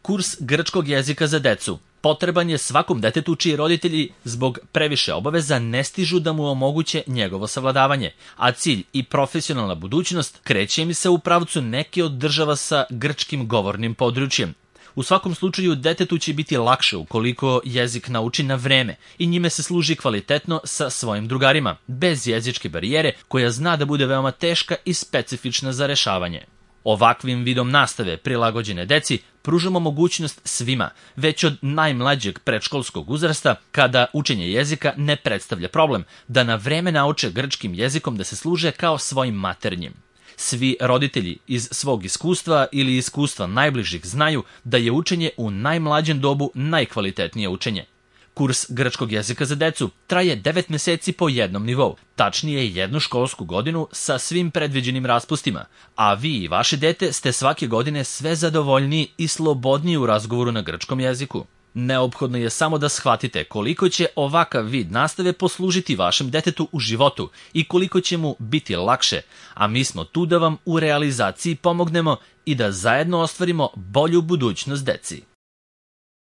Kurs grčkog jezika za decu potreban je svakom detetu čiji roditelji zbog previše obaveza ne stižu da mu omoguće njegovo savladavanje, a cilj i profesionalna budućnost kreće im se u pravcu neke od država sa grčkim govornim područjem. U svakom slučaju, detetu će biti lakše ukoliko jezik nauči na vreme i njime se služi kvalitetno sa svojim drugarima, bez jezičke barijere koja zna da bude veoma teška i specifična za rešavanje. Ovakvim vidom nastave prilagođene deci pružamo mogućnost svima, već od najmlađeg predškolskog uzrasta, kada učenje jezika ne predstavlja problem, da na vreme nauče grčkim jezikom da se služe kao svojim maternjim. Svi roditelji iz svog iskustva ili iskustva najbližih znaju da je učenje u najmlađem dobu najkvalitetnije učenje. Kurs grčkog jezika za decu traje 9 meseci po jednom nivou, tačnije 1 školsku godinu sa svim predviđenim raspustima, a vi i vaše dete ste svake godine sve zadovoljniji i slobodniji u razgovoru na grčkom jeziku. Neophodno je samo da shvatite koliko će ovakav vid nastave poslužiti vašem detetu u životu i koliko će mu biti lakše, a mi smo tu da vam u realizaciji pomognemo i da zajedno ostvarimo bolju budućnost deci.